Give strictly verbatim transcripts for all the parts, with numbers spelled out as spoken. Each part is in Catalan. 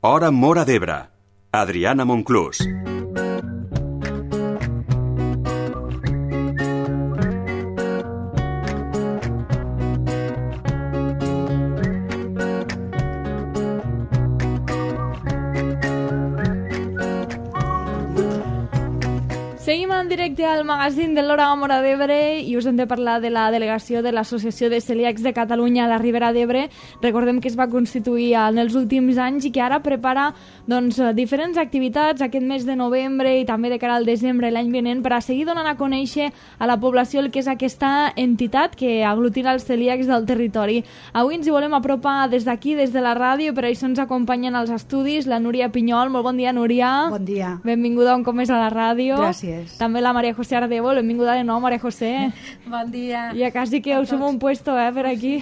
Hora Móra d'Ebre. Adriana Monclús. Seguim en directe al magazín de l'Hora Móra d'Ebre i us hem de parlar de la delegació de l'Associació de Celíacs de Catalunya a la Ribera d'Ebre. Recordem que es va constituir en els últims anys i que ara prepara doncs, diferents activitats aquest mes de novembre i també de cara al desembre l'any vinent per a seguir donant a conèixer a la població el que és aquesta entitat que aglutina els celíacs del territori. Avui ens hi volem apropar des d'aquí, des de la ràdio, per això ens acompanyen als estudis la Núria Pinyol. Molt bon dia, Núria. Bon dia. Benvinguda un cop més a la ràdio. Gràcies. També la Maria José Ardebo, benvinguda de nou, Maria José. Bon dia. Ja quasi que us som un puesto, eh, per aquí.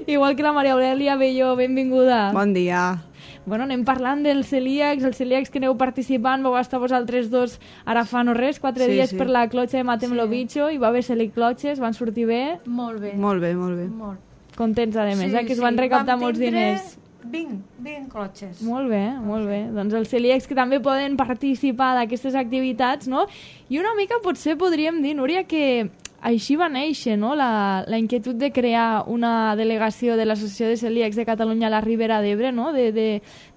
Igual que la Maria Aurelia Belló, benvinguda. Bon dia. Bueno, anem parlant dels celíacs, els celíacs que aneu participant, vau estar vosaltres dos ara fa no res, quatre sí, dies sí. per la clotxa de Matem lo Bicho, i va haver celic clotxes, van sortir bé. Molt bé. Molt bé, molt bé. Molt. Contents, a més, sí, eh, que es sí. van recaptar Vam molts tindre diners. vint, vint clotxes. Molt bé, molt bé. Doncs els celíacs que també poden participar d'aquestes activitats, no? I una mica potser podríem dir, Núria, que així va néixer, no?, la, la inquietud de crear una delegació de l'Associació de Celíacs de Catalunya a la Ribera d'Ebre, no?, de, de,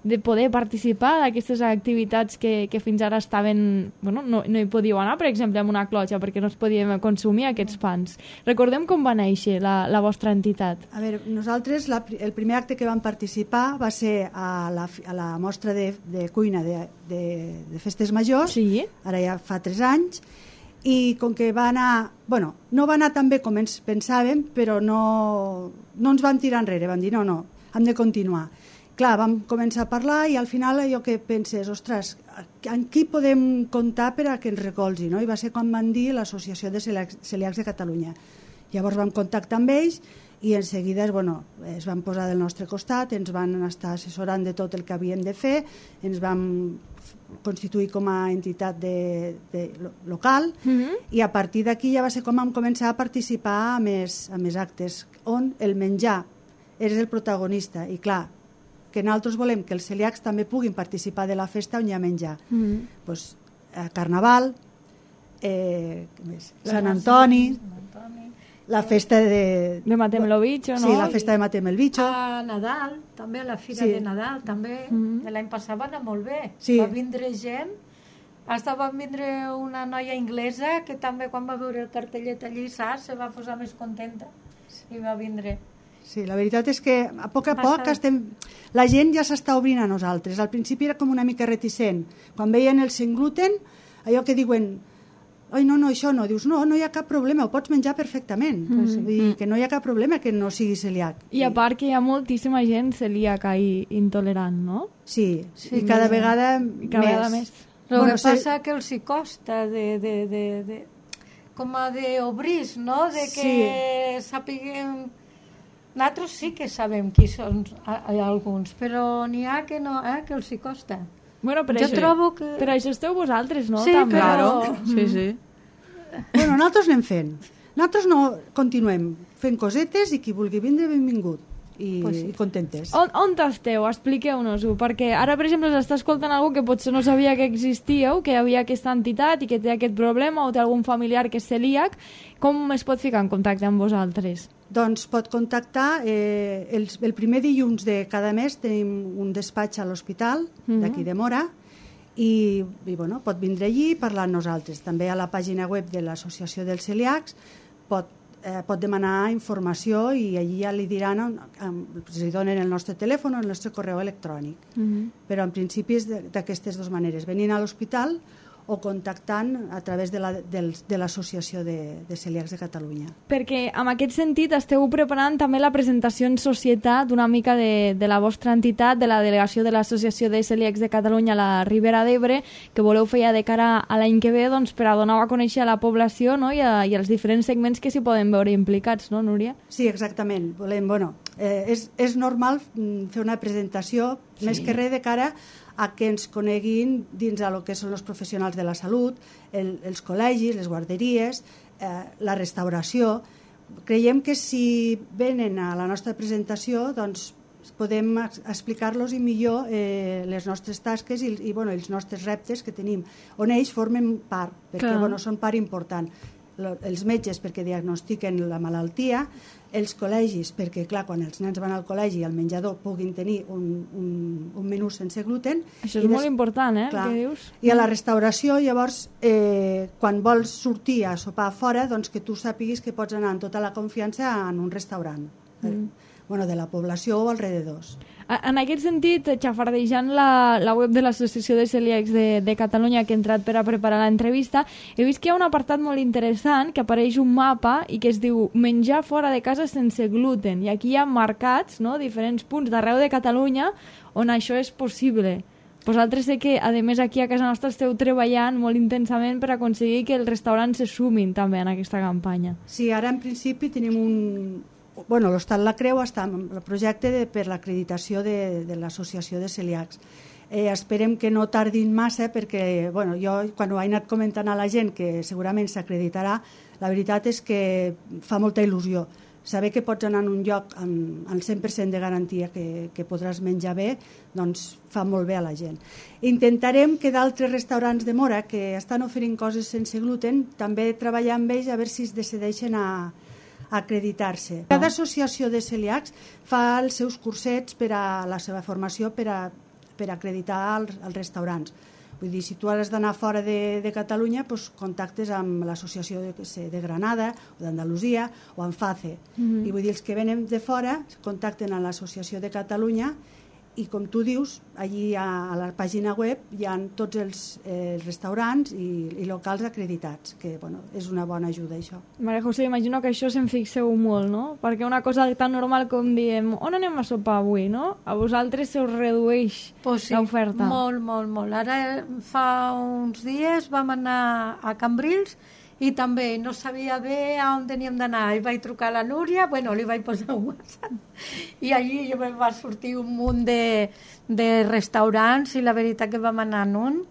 de poder participar d'aquestes activitats que, que fins ara estaven... Bueno, no, no hi podíeu anar, per exemple, amb una clotxa, perquè no es podien consumir aquests pans. Recordem com va néixer la, la vostra entitat. A veure, nosaltres la, el primer acte que vam participar va ser a la, a la mostra de, de cuina de, de, de Festes Majors, Sí. ara ja fa tres anys, i com que va anar... Bueno, no va anar tan bé com ens pensàvem, però no, no ens vam tirar enrere, vam dir no, no, hem de continuar. Clar, vam començar a parlar i al final allò que penses, ostres, en qui podem comptar per a que ens recolzi, no? I va ser quan van dir l'Associació de Celíacs, Celíacs de Catalunya. Llavors vam contactar amb ells i en seguida bueno, es van posar del nostre costat, ens van estar assessorant de tot el que havíem de fer, ens vam constituir com a entitat de, de local Mm-hmm. i a partir d'aquí ja va ser com vam començar a participar a més, a més actes on el menjar és el protagonista i clar, que nosaltres volem que els celíacs també puguin participar de la festa on hi ha menjar. Mm-hmm. Pues, a Carnaval, eh, què més? Sant Antoni, la festa de... De Matem lo Bicho, no? Sí, la festa de Matem el Bicho. A Nadal, també a la Fira Sí. de Nadal, també. Mhm. L'any passat va anar molt bé. Sí. Va vindre gent. Hasta va vindre una noia inglesa que també quan va veure el cartellet allí, saps, se va posar més contenta i va vindre. Sí, la veritat és que a poc a Va poc estar- estem... la gent ja s'està obrint a nosaltres. Al principi era com una mica reticent. Quan veien el sense gluten, allò que diuen oi, no, no, això no. Dius, no, no hi ha cap problema, ho pots menjar perfectament. Mm -hmm. Vull dir que no hi ha cap problema que no sigui celíac. I a part que hi ha moltíssima gent celíaca i intolerant, no? Sí, Sí, i cada més- vegada I cada vegada més. El Bueno, que se- passa que els hi costa de, de, de, de, com a d'obrir, no? De que sí. Sàpiguen... Nosaltres sí que sabem qui són a, a alguns, però n'hi ha que no, eh? Que els hi costa. Bueno, per Jo això, trobo que- per això esteu vosaltres, no? Sí, També. però- Claro, sí, sí. Bueno, nosaltres anem fent. Nosaltres no continuem fent cosetes i qui vulgui vindre, benvingut. I, Pues sí. i contentes. On, on esteu? Expliqueu-nos-ho, perquè ara, per exemple, s'està escoltant algú que potser no sabia que existíeu, que hi havia aquesta entitat i que té aquest problema o té algun familiar que és celíac. Com es pot ficar en contacte amb vosaltres? Doncs pot contactar eh, el, el primer dilluns de cada mes tenim un despatx a l'hospital Mhm. d'aquí de Mora i, i bueno, pot vindre allí i parlar amb nosaltres. També a la pàgina web de l'Associació dels Celíacs pot, eh, pot demanar informació i allí ja li diran on, on, li donen el nostre telèfon o el nostre correu electrònic. Mm-hmm. Però en principi és de- d'aquestes dues maneres, venint a l'hospital o contactant a través de la- del- de l'Associació de, de Celíacs de Catalunya. Perquè en aquest sentit esteu preparant també la presentació en societat una mica de, de la vostra entitat, de la delegació de l'Associació de Celíacs de Catalunya a la Ribera d'Ebre, que voleu fer ja de cara a l'any que ve doncs, per a donar a conèixer a la població, no? I, a, i als diferents segments que s'hi poden veure implicats, no, Núria? Sí, exactament. Volem, bueno, eh, és, és normal mm, fer una presentació, sí. més que res de cara a que ens coneguin dins a lo que són els professionals de la salut, el, els col·legis, les guarderies, eh, la restauració. Creiem que si venen a la nostra presentació, doncs podem explicar-los i millor eh, les nostres tasques i, i bueno, els nostres reptes que tenim, on ells formen part, perquè bueno, són part important. Els metges perquè diagnostiquen la malaltia, els col·legis perquè, clar, quan els nens van al col·legi i al menjador puguin tenir un, un, un menú sense gluten. Això és molt important, eh? Clar. Què dius? I a la restauració, llavors, eh, quan vols sortir a sopar fora, doncs que tu sàpiguis que pots anar amb tota la confiança en un restaurant. Mm. Bueno, de la població o alrededors. En aquest sentit, xafardejant la, la web de l'Associació de Celíacs de, de Catalunya que he entrat per a preparar l'entrevista, he vist que hi ha un apartat molt interessant que apareix un mapa i que es diu menjar fora de casa sense gluten. I aquí hi ha marcats, no?, diferents punts d'arreu de Catalunya on això és possible. Vosaltres sé que, a més, aquí a casa nostra esteu treballant molt intensament per aconseguir que els restaurants se sumin també en aquesta campanya. Sí, ara en principi tenim un... Bueno, l'Hostal La Creu està en el projecte de, per l'acreditació de, de l'Associació de Celíacs. Eh, esperem que no tardin massa perquè, bueno, jo quan ho he anat comentant a la gent que segurament s'acreditarà, la veritat és que fa molta il·lusió. Saber que pots anar en un lloc amb el cent per cent de garantia que, que podràs menjar bé, doncs fa molt bé a la gent. Intentarem que d'altres restaurants de Móra que estan oferint coses sense gluten també treballar amb ells a veure si es decideixen a acreditar-se. Cada associació de celíacs fa els seus cursets per a la seva formació per a, per a acreditar els, els restaurants. Vull dir, si tu has d'anar fora de, de Catalunya, doncs contactes amb l'associació de, de Granada o d'Andalusia o amb FACE. Mm-hmm. I vull dir, els que venen de fora contacten amb l'associació de Catalunya i, com tu dius, allí a, a la pàgina web hi ha tots els eh, restaurants i, i locals acreditats, que bueno, és una bona ajuda, això. Maria José, imagino que això se'n fixeu molt, no? Perquè una cosa tan normal com diem on anem a sopar avui, no? A vosaltres se us redueix pues sí, l'oferta. Molt, molt, molt. Ara fa uns dies vam anar a Cambrils i també no sabia bé on teníem d'anar. I vaig trucar a la Núria, bueno, li vaig posar un WhatsApp, i allí jo em va sortir un munt de, de restaurants i la veritat que vam anar en un.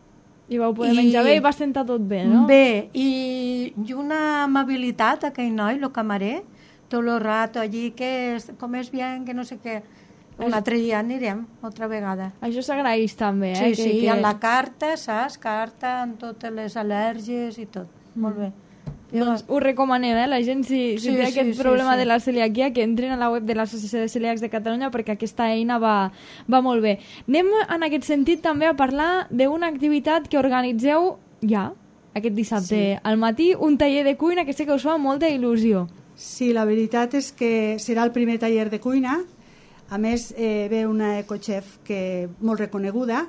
I vau poder I, menjar bé i va sentar tot bé, no? Bé, i, i una amabilitat, aquell noi, el camarer, tot el rato allí, que és, com és bien, que no sé què. Un altre dia anirem, altra vegada. Això s'agraeix també, eh? Sí, que, sí, que... amb la carta, saps? Carta amb totes les al·lèrgies i tot. Mm. Molt bé. Doncs ho recomanem, eh? La gent, si, si sí, té sí, aquest sí, problema sí. de la celiaquia, que entrin a la web de l'Associació de Celíacs de Catalunya perquè aquesta eina va, va molt bé. Anem en aquest sentit també a parlar d'una activitat que organitzeu ja, aquest dissabte sí. al matí, un taller de cuina que sé que us fa molta il·lusió. Sí, la veritat és que serà el primer taller de cuina. A més, eh, ve una ecochef que molt reconeguda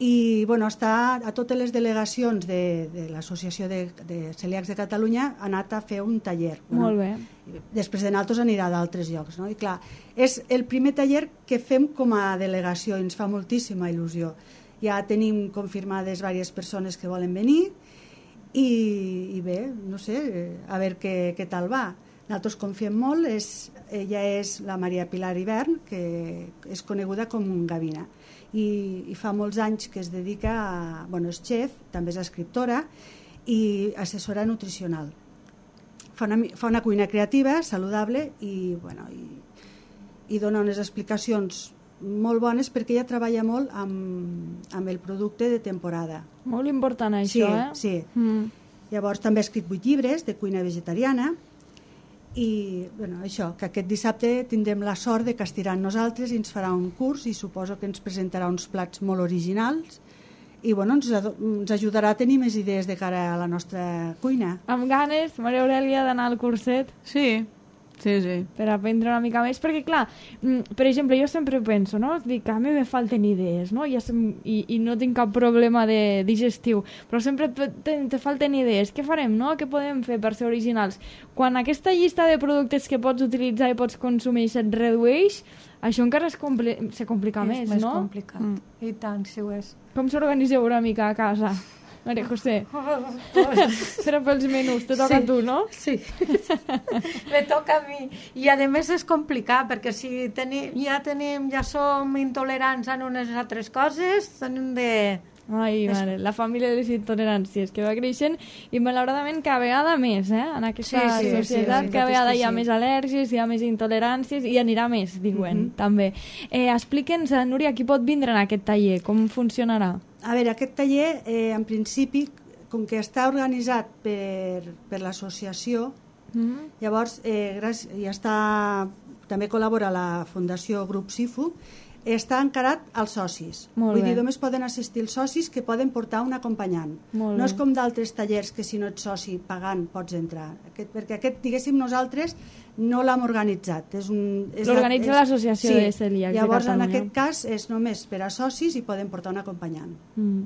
i bueno, està a totes les delegacions de, de l'Associació de, de Celíacs de Catalunya ha anat a fer un taller. Bueno, molt bé. Després de nosaltres anirà d'altres llocs. No? I clar, és el primer taller que fem com a delegació i ens fa moltíssima il·lusió. Ja tenim confirmades diverses persones que volen venir i, i bé, no sé, a veure què, què tal va. Nosaltres confiem molt, és, ella és la Maria Pilar Hivern, que és coneguda com un Gavina. I, i fa molts anys que es dedica a... Bueno, és xef, també és escriptora i assessora nutricional. Fa una, fa una cuina creativa, saludable i, bueno, i, i dona unes explicacions molt bones perquè ella treballa molt amb, amb el producte de temporada. Molt important això, sí, eh? Sí, mm. Llavors també ha escrit vuit llibres de cuina vegetariana i bueno, això, que aquest dissabte tindrem la sort de que estirà amb nosaltres i ens farà un curs i suposo que ens presentarà uns plats molt originals i bueno, ens, ens ajudarà a tenir més idees de cara a la nostra cuina. Amb ganes, Maria Aurèlia, d'anar al curset? Sí, sí, sí. Per aprendre una mica més, perquè clar, per exemple, jo sempre penso, no? Dic, a mi me falten idees, no? Ja sem... I, i no tinc cap problema de digestiu, però sempre te, te, te falten idees. Què farem, no? Què podem fer per ser originals? Quan aquesta llista de productes que pots utilitzar i pots consumir se't redueix, això encara es compli... se complica és més, més no? És complicat, mm. I tant, si ho és. Com s'organitzeu una mica a casa? Maria José, serà pels menús, te toca sí, a tu, no? Sí, me toca a mi. I a més és complicat, perquè si tenim, ja tenim, ja som intolerants a unes altres coses, tenim de, Ai, mare, la família de les intoleràncies que va creixent i malauradament cada vegada més, eh? En aquesta Sí, sí, societat sí, cada sí, vegada sí, hi ha sí. més al·lèrgies, hi ha més intoleràncies i anirà més, diuen, també. Eh, Explica'ns, Núria, qui pot vindre en aquest taller? Com funcionarà? A veure, aquest taller, eh, en principi, com que està organitzat per, per l'associació, Mm? llavors eh, gràcies, i està, també col·labora la Fundació Grup Sifu, està encarat als socis. Molt Vull bé. dir, només poden assistir els socis que poden portar un acompanyant. Molt no bé. és com d'altres tallers que si no ets soci pagant pots entrar. Aquest, perquè aquest, diguéssim, nosaltres no l'hem organitzat. És un, és L'organitza és- l'Associació sí. de Celíacs de Llavors, en Catalunya. aquest cas, és només per a socis i poden portar un acompanyant. Mm.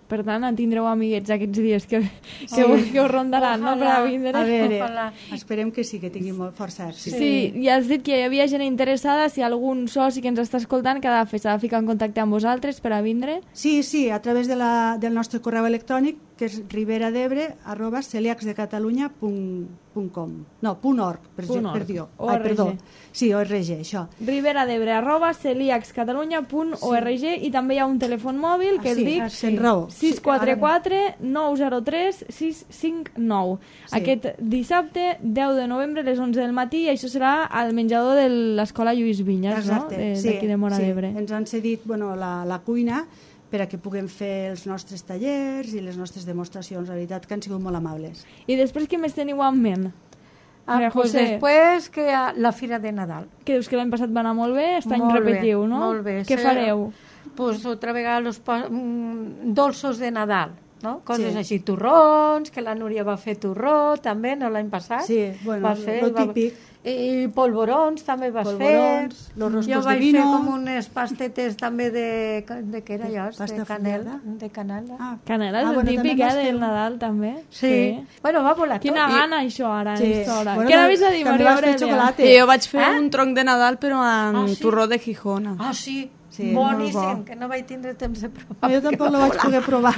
Per tant, en tindreu amiguets aquests dies que, que, us, que us rondaran, no?, per a vindre. A veure, Ojalà. esperem que sí, que tingui molt força èxit. Sí, i has dit que hi havia gent interessada. Si algun soci que ens està escoltant que ha de fer, s'ha de ficar en contacte amb vosaltres per a vindre. Sí, sí, a través de la, del nostre correu electrònic, que és riberadebre arroba celiacsdecatalunya punt com. No, punt org, per, Punt org. per dir. O Ai, R G. perdó. Sí, O R G, això. riberadebre arroba celiacscatalunya punt org i també hi ha un telèfon mòbil que Ah, el sí, dic ah, sí. raó. sis quatre quatre nou zero tres sis cinc nou. Sí. Aquest dissabte deu de novembre a les onze del matí i això serà al menjador de l'Escola Lluís Vinyes, Exacte, no? De- sí, d'aquí de Móra sí. d'Ebre. Ens han cedit bueno, la, la cuina per a que puguem fer els nostres tallers i les nostres demostracions. La veritat que han sigut molt amables. I després què més teniu en ment? Ah, Maria pues José, després que a la Fira de Nadal. que dius que l'any passat va anar molt bé, aquest any Molt bé, repetiu, no? molt bé. Què Sí. fareu? Pues otra vegada los pa- mm, dolços de Nadal, no? Coses Sí. així, torrons, que la Núria va fer torró també, no l'any passat? Sí, bueno, va fer, lo va- típic. I polvorons també vas Polvorons, fer. los roscos jo de vaig vino. fer com unes pastetes també de, de què era allò? Pasta De canela. fondada? De canela. Ah, Canela és ah, el bueno, típic, també eh, vas fer del un- Nadal, també. Sí. Bueno, va volar Quina tot. I- gana, això, ara, Sí. a aquesta hora. Bueno, Què anaves a dir, també Maria vas fer Aurelia? xocolata. Sí, jo vaig fer Ah? un tronc de Nadal però en Ah, sí? torró de Gijona. Ah, sí, Sí, boníssim, molt bo. que no vaig tindre temps de provar. No, jo tampoc lo vaig poder provar.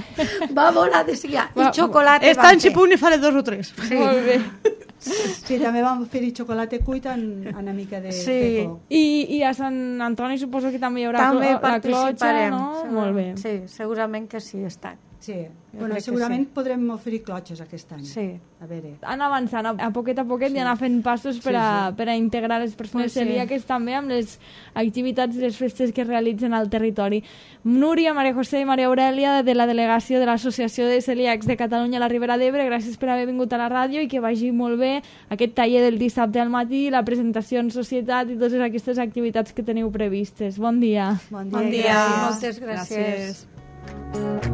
Va volar de seguida. I Va, xocolata Esta vam en fer. si puc ni faré dos o tres. Sí. Molt bé. Sí, també vam fer-hi xocolata cuita en, en una mica de, Sí. de co. I, I a Sant Antoni suposo que també hi haurà També clo- la clotxa, participarem. no? segur- Molt bé. Sí, segurament que sí, està. Sí. Jo Bueno, crec que segurament sí. podrem oferir clotxes aquest any. Sí. A veure. Anar avançant a, a poquet a poquet i anar fent passos per a, per a integrar les persones Pues sí. celíaques també amb les activitats i les festes que es realitzen al territori. Núria, Maria José i Maria Aurelia de la delegació de l'Associació de Celíacs de Catalunya a la Ribera d'Ebre, gràcies per haver vingut a la ràdio i que vagi molt bé aquest taller del dissabte al matí, la presentació en societat i totes aquestes activitats que teniu previstes. Bon dia. Bon dia. Bon i dia. gràcies. Moltes gràcies. Gràcies.